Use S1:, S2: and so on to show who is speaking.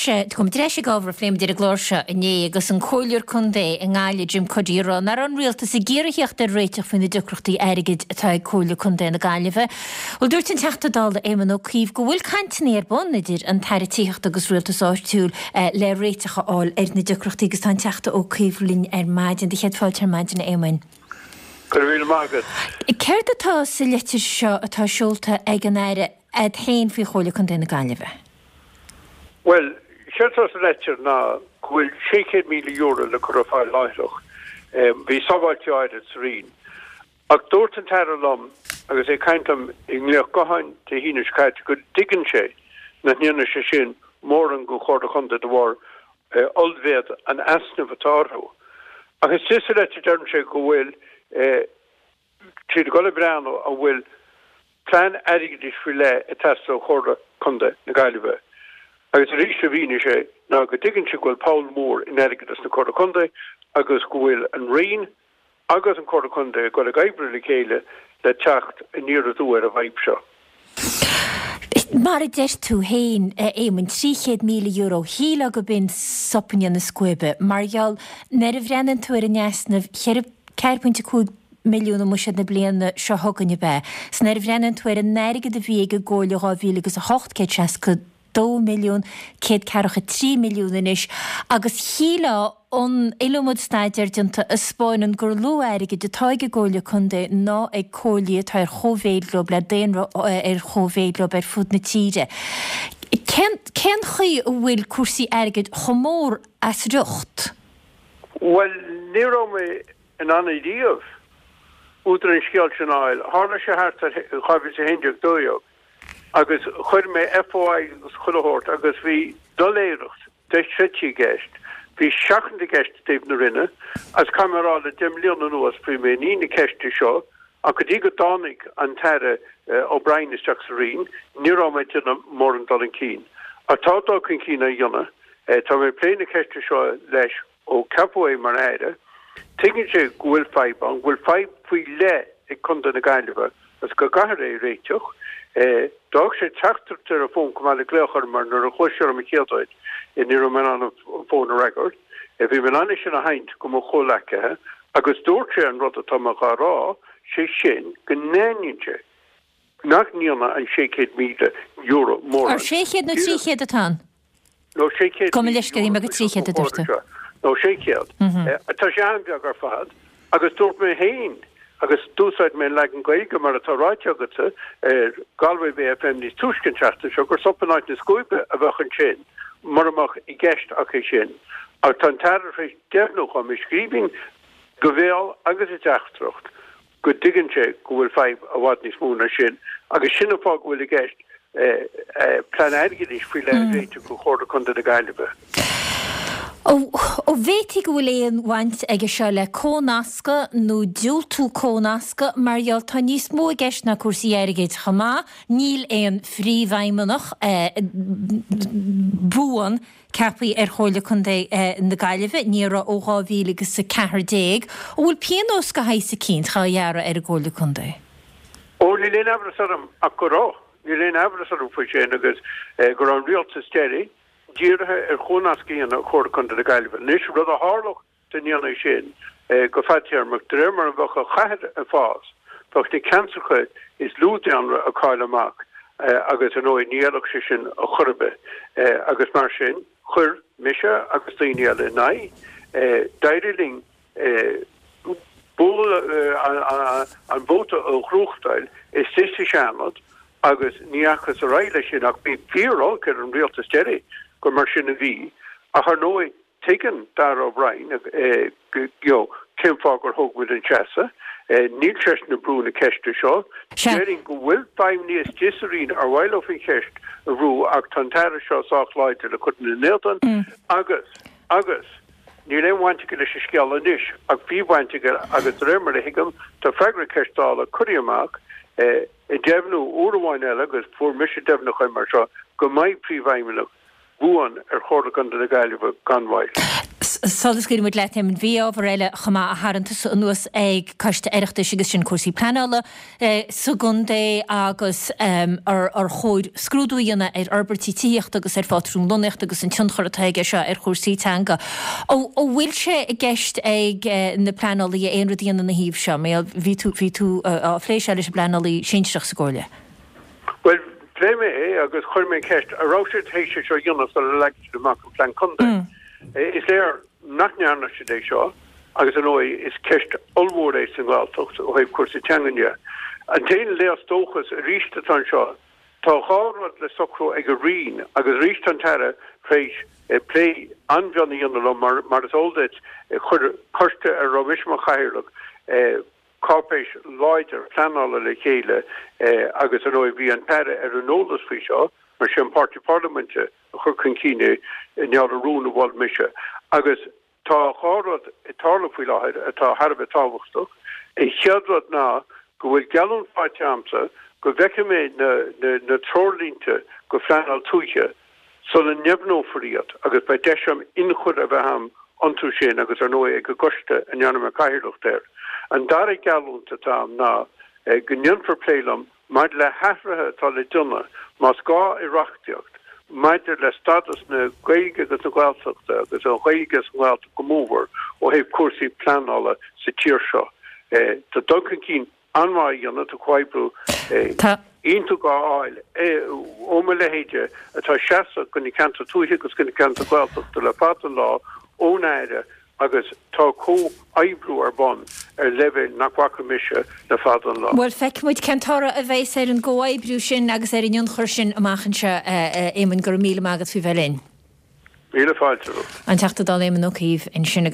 S1: Gabhfaidh muid ar ais ag ábhar a phléigh muid ar an gclár seo inné agus an Comhairleoir Contae i nGaillimh, Jim Cuddy, ag rá nach raibh an Rialtas ag iarraidh theacht ar réiteach faoi na deacrachtaí airgid atá ag Comhairle Contae na Gaillimhe. Bhuel, dúirt an Teachta Dála Éamon Ó Cuív go bhfuil cainteanna ar bun idir an tAire Tithíochta agus Rialtais Áitiúil le réiteach a fháil ar na deacrachtaí agus tá an Teachta Ó Cuív linn ar maidin. Do chéad fáilte ar maidin, a Éamoin.
S2: Go raibh míle maith agat.
S1: Céard atá sa litir seo atá seolta ag an Aire agat féin faoi Chomhairle Contae na Gaillimhe?
S2: Bhuel, séard atá sa leitir ná go bhfuil €600,000 le cur ar fáil láithreach. Bhí sábháiltí áirid sa Roinn. Ach dúirt an tAire liom agus é ag caint liom i nglaoch gutháin Dé hAoine seo caite go dtuigeann sé nach ndéanfaidh sé sin mórán don Chomhairle Chontae de bharr ollmhéad an easnaimh atá orthu. Ach istigh sa leitir deireann sé go bhfuil siad ag dul ag breathnú an bhfuil plean airgeadais faoi leith ag teastáil ó Chomhairle Contae na Gaillimhe. Agus arís a mhínigh sé ná go dtuigeann sé go bhfuil poll mór in airgeadas na Comhairle Contae agus go bhfuil an Roinn agus an Chomhairle Contae ag dul ag oibriú le chéile le teacht aniar aduaidh ar an bhfadhb seo.
S1: Mar a deir tú féin, a Éamoin, €300,000, shílfeá gurb in sop in áit na scuaibe, mar gheall, nuair a bhreathnaíonn tú ar an easnamh, 4.5 milliún i mbuiséad na bliana seo chugainn, ab ea? 'S nuair a bhreathnaíonn tú ar an airgead a bhí ag an gComhairle 2008, 160. 2 milliún, 143 milliún anois, agus shílfeá an iliomad staidéar déanta a 'spáineann gur lú airgid atá ag an gComhairle Contae ná ag comhairlí atá ar chóimhéid leo, le daonra ar chóimhéid leo ar fud na tíre. Cén cén chaoi a bhfuil cúrsaí airgid chomh mór as riocht?
S2: Bhuel, ní raibh mé in ann ariamh údar an scéil sin a fháil. Tharla sé thart ar 2011, 12. agus chuir mé FOI agus chuile shórt agus bhí doiléireacht dochreidte i gceist, bhí seachaint i gceist i dtaobh na Roinne agus caithfidh mé a rá le 10 mbliana anuas bhí mé i ndiaidh na ceiste seo ach go dtí go dtáinig an tAire O'Brien isteach sa Roinn ní raibh mé ag déanamh mórán dul chun cinn. Ach tá dul chun cinn á dhéanamh, tá mé ag plé na ceiste seo leis Ó ceapadh é mar Aire, tuigeann sé go bhfuil fadhb ann, go bhfuil fadhb faoi leith ag Contae na Gaillimhe agus go gcaithfear é a réiteach. D'fhág sé teachtaireacht ar an bhfón chomh maith le glaoch orm mar nuair a ghlaoigh sé orm an chéad uair ní raibh mé in ann an fón a fhreagairt. Bhí mé in ann é sin a sheinnt go mo chomhleacaithe agus dúirt sé an rud atá mé dhá rá, sé sin go n-aithníonn sé nach ndéanfaidh an €600,000 mórán.
S1: Ar 600 nó 300 atá ann?
S2: Nó 600,000
S1: Gabh mo leithscéal, shíl mé gur 300 a dúirt tú.
S2: Nó 600. Tá sé an-bheag ar fad. Agus dúirt mé féin, agus d'úsáid mé an leagan Gaeilge mar atá ráite agatsa ar Galway Bay FM níos túisce an tseachtain seo, gur sop in áit na scuaibe a bheadh ansin mura mbeadh i gceist ach é sin. Ach tá an tAire tar éis deimhniú dhom i scríbhinn, go bhéal agus i dteachtaireacht, go dtuigeann sé go bhfuil fadhb i bhfad níos mó ná sin agus sin an fáth go bhfuil i gceist plean airgeadais faoi leith a réiteach do Chomhairle Contae na Gaillimhe.
S1: An bhféadfaí go bhfuil aon bhaint aige seo le comhnascadh nó diúltú comhnascadh mar gheall tá níos mó i gceist ná cúrsaí airgid chomh maith, níl aon phríomhfheidhmeannach buan ceaptha ar Chomhairle Contae na Gaillimhe, ní raibh ó 2014. An bhfuil pionós de shaghas eicínt dhá ghearradh ar an gComhairle Contae?
S2: Ó, níl aon amhras orm ach go raibh. Níl aon amhras orm faoi sin agus go raibh an rialtas deiridh dírithe ar chomhnascadh a dhéanamh ar Chomhairle Contae na Gaillimhe. Anois, rud a tharlódh dá ndéanfaí sin go fadtéarmach, de réir mar a bheadh an chathair ag fás, bheadh na ceantracha is lú daonra ag cailleadh amach agus, ar ndóigh, ní fheilfeadh sé sin ar chor ar bith. Agus mar sin, chuir mise agus daoine eile in aghaidh. D'éirigh linn bualadh an vóta a ghnóthachtáil istigh sa Seanad agus ní dheachthas ar aghaidh leis sin ach bhí fíor-olc ar an rialtas deiridh gur mar sin a bhí. Ach ar ndóigh, Tuigeann Darragh O'Brien you know cén fáth gur thóg muid an seasamh. Níl seisean ag brú na ceiste seo. Déarfainn go bhfuil feidhmeannaigh istigh sa Roinn ar mhaith leo an cheist a bhrú ach tá an tAire seo sách láidir le cur ina n-éadan agus, agus, níl aon bhaint aige leis an scéal anois ach bhí baint aige agus de réir mar a thuigim tá freagra ceist Dála curtha amach ag deimhniú uair amháin eile agus fuair mise deimhniúchán mar seo go mbeidh príomhfheidhmeannach buan ar Chomhairle Contae na Gaillimhe gan mhoill.
S1: Sula scaoilfidh muid leat, Éamonn, bhí ábhar eile chomh maith a tharraing tusa anuas ag Coiste Oireachtais agus sin cúrsaí pleanála sa gcontae agus ar chóir scrúdú a dhéanamh ar fhorbairtí tithíochta agus ar phátrún lonnaíochta agus an tionchar atá aige seo ar chúrsaí teanga. An bhfuil sé i gceist ag na pleanálaithe aon rud a dhéanamh ina thaobh seo? Mar bhí tú, bhí tú á phlé seo leis an bpleanálaí sinsearach sa gComhairle.
S2: Bhuel, phléigh mé é agus chuir mé an cheist, an raibh siad théis é seo a dhéanamh sula leag siad amach an Plean Contae? Is léir nach ndearna siad é seo agus, ar ndóigh, is ceist ollmhór é sa nGaeltacht ó thaobh cúrsaí teangan de. An t-aon léas dóchais arís atá anseo, tá dhá rud le socrú ag an Roinn agus arís tá an tAire tar éis plé an-mhion a dhéanamh liom mar, mar is eol duit, chuir coiste ar a raibh mise mar chathaoirleach, cáipéis láidir pleanála le chéile agus, ar ndóigh, bhí an tAire ar an eolas faoi seo mar sé an páirtí parlaiminte a chuir chun cinn é i ngeall ar rún a mhol mise. Agus tá dhá rud ag tarlú faoi láthair atá thar a bheith tábhachtach. An chéad rud ná go bhfuil geallúint faighte a'msa go bhfeicfidh mé na treoirlínte go phleanáil tuaithe sula ndeimhneofar iad agus beidh deis a'm ionchur a bheith a'm iontu sin agus ar ndóigh ag an gcoiste a ndearna mé cathaoirleacht air. An dara geallúint atá a'm ná go ndéanfar plé liom maidir le hathruithe atá le déanamh, más gá i reachtaíocht, maidir le stádas na Gaeilge agus na Gaeltachta agus an Ghaeilge sa nGaeltacht go mórmhór ó thaobh cúrsaí pleanála sa tír seo. Tá dul chun cinn an-mhaith á dhéanamh, tá comhoibriú iontach á fháil ó mo leithéide atá ag seasamh do na ceantair tuaithe agus do na ceantair Ghaeltachta le fada an lá, ón Aire agus tá comhoibriú ar bun ar leibhéal nach bhfaca mise le fada an lá.
S1: Bhuel, feicfidh muid cén toradh a bheas ar an gcomhoibriú sin agus ar an ionchur sin amach anseo, a Éamoinn. Go raibh míle maith agat faoi bheith linn.
S2: Míle fáilte romhat.
S1: An Teachta Dála Éamon Ó Cuív ansin agus.